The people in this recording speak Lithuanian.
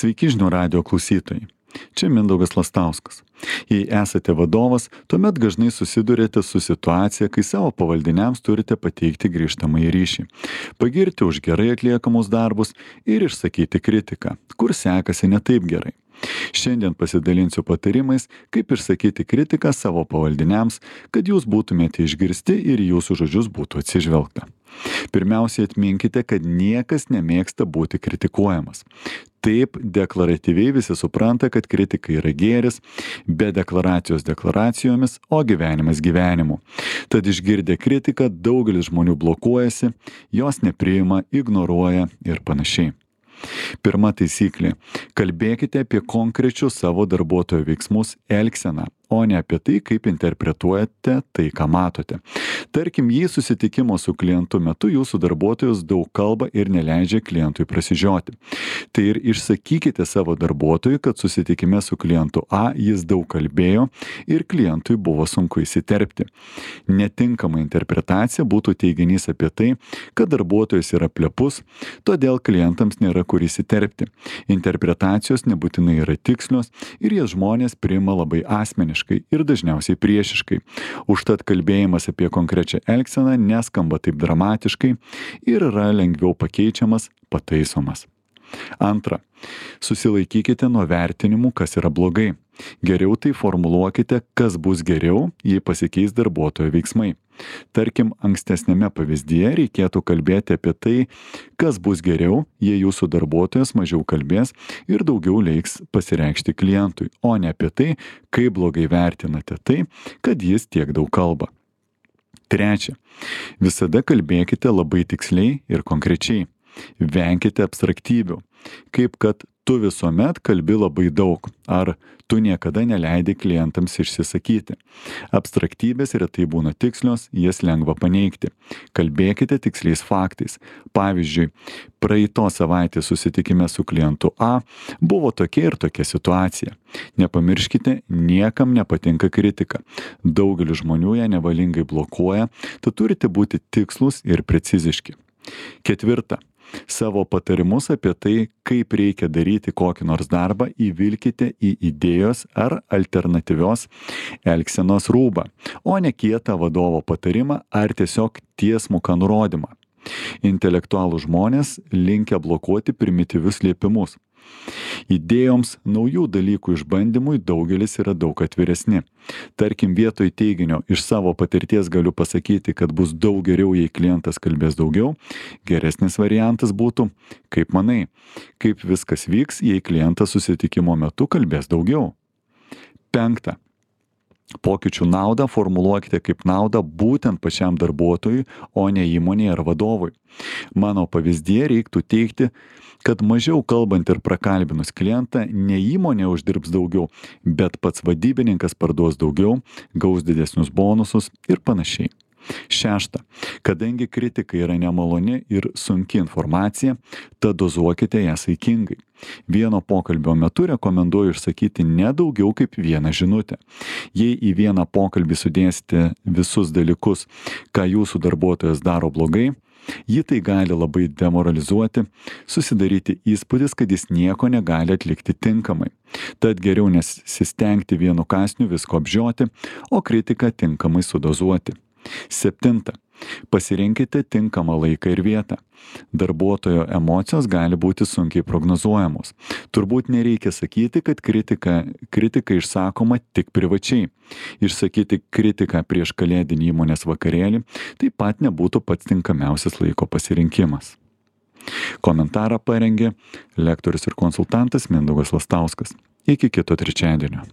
Sveiki žinių radijo klausytojai. Čia Mindaugas Lastauskas. Jei esate vadovas, tuomet dažnai susidurėte su situacija, kai savo pavaldiniams turite pateikti grįžtamąjį ryšį, pagirti už gerai atliekamus darbus ir išsakyti kritiką, kur sekasi ne taip gerai. Šiandien pasidalinsiu patarimais, kaip išsakyti kritiką savo pavaldiniams, kad jūs būtumėte išgirsti ir jūsų žodžius būtų atsižvelgta. Pirmiausiai atminkite, kad niekas nemėgsta būti kritikuojamas. Taip, deklaratyviai visi supranta, kad kritika yra gėris, be deklaracijos deklaracijomis, o gyvenimas gyvenimu. Tad išgirdę kritiką daugelis žmonių blokuojasi, jos nepriima, ignoruoja ir panašiai. Pirma taisyklė. Kalbėkite apie konkrečius savo darbuotojo veiksmus, elgseną, o ne apie tai, kaip interpretuojate tai, ką matote. Tarkim, jei susitikimo su klientu metu jūsų darbuotojas daug kalba ir neleidžia klientui prasižioti. Tai ir išsakykite savo darbuotojui, kad susitikime su klientu A jis daug kalbėjo ir klientui buvo sunku įsiterpti. Netinkama interpretacija būtų teiginys apie tai, kad darbuotojas yra plepus, todėl klientams nėra kur įsiterpti. Interpretacijos nebūtinai yra tikslios ir jas žmonės priima labai asmeniškai ir dažniausiai priešiškai. Užtat kalbėjimas apie konkrečią elgseną neskamba taip dramatiškai ir yra lengviau pakeičiamas, pataisomas. Antra. Susilaikykite nuo vertinimų, kas yra blogai. Geriau tai formuluokite, kas bus geriau, jei pasikeis darbuotojo veiksmai. Tarkim, ankstesnėme pavyzdyje reikėtų kalbėti apie tai, kas bus geriau, jei jūsų darbuotojas mažiau kalbės ir daugiau leiks pasireikšti klientui, o ne apie tai, kaip blogai vertinate tai, kad jis tiek daug kalba. Trečia. Visada kalbėkite labai tiksliai ir konkrečiai. Venkite abstraktybių, kaip kad tu visuomet kalbi labai daug, ar tu niekada neleidi klientams išsisakyti. Abstraktybės retai būna tikslios, jas lengva paneigti. Kalbėkite tiksliais faktais. Pavyzdžiui, praeitos savaitės susitikime su klientu A buvo tokia ir tokia situacija. Nepamirškite, niekam nepatinka kritika. Daugelis žmonių ją nevalingai blokuoja, tad turite būti tikslūs ir preciziški. Ketvirta. Savo patarimus apie tai, kaip reikia daryti kokį nors darbą, įvilkite į idėjos ar alternatyvios elgsenos rūbą, o ne kietą vadovo patarimą ar tiesiog tiesmuką nurodymą. Intelektualūs žmonės linkę blokuoti primityvius liepimus. Idėjoms, naujų dalykų išbandymui daugelis yra daug atviresni. Tarkim, vietoj teiginio iš savo patirties galiu pasakyti, kad bus daug geriau, jei klientas kalbės daugiau, geresnis variantas būtų, kaip manai, kaip viskas vyks, jei klientas susitikimo metu kalbės daugiau. Penkta. Pokyčių naudą formuluokite kaip naudą būtent pačiam darbuotojui, o ne įmonei ar vadovui. Mano pavyzdyje reiktų teigti, kad mažiau kalbant ir prakalbinus klientą, ne įmonė uždirbs daugiau, bet pats vadybininkas parduos daugiau, gaus didesnius bonusus ir panašiai. Šešta. Kadangi kritika yra nemaloni ir sunki informacija, tad dozuokite ją saikingai. Vieno pokalbio metu rekomenduoju išsakyti ne daugiau kaip vieną žinutę. Jei į vieną pokalbį sudėsite visus dalykus, ką jūsų darbuotojas daro blogai, jį tai gali labai demoralizuoti, susidaryti įspūdis, kad jis nieko negali atlikti tinkamai. Tad geriau nesistengti vienu kąsniu visko apžioti, o kritiką tinkamai sudozuoti. Septinta. Pasirinkite tinkamą laiką ir vietą. Darbuotojo emocijos gali būti sunkiai prognozuojamos. Turbūt nereikia sakyti, kad kritika išsakoma tik privačiai. Išsakyti kritiką prieš kalėdinį įmonės vakarėlį taip pat nebūtų pats tinkamiausias laiko pasirinkimas. Komentarą parengė lektorius ir konsultantas Mindaugas Lastauskas. Iki kito trečiadienio.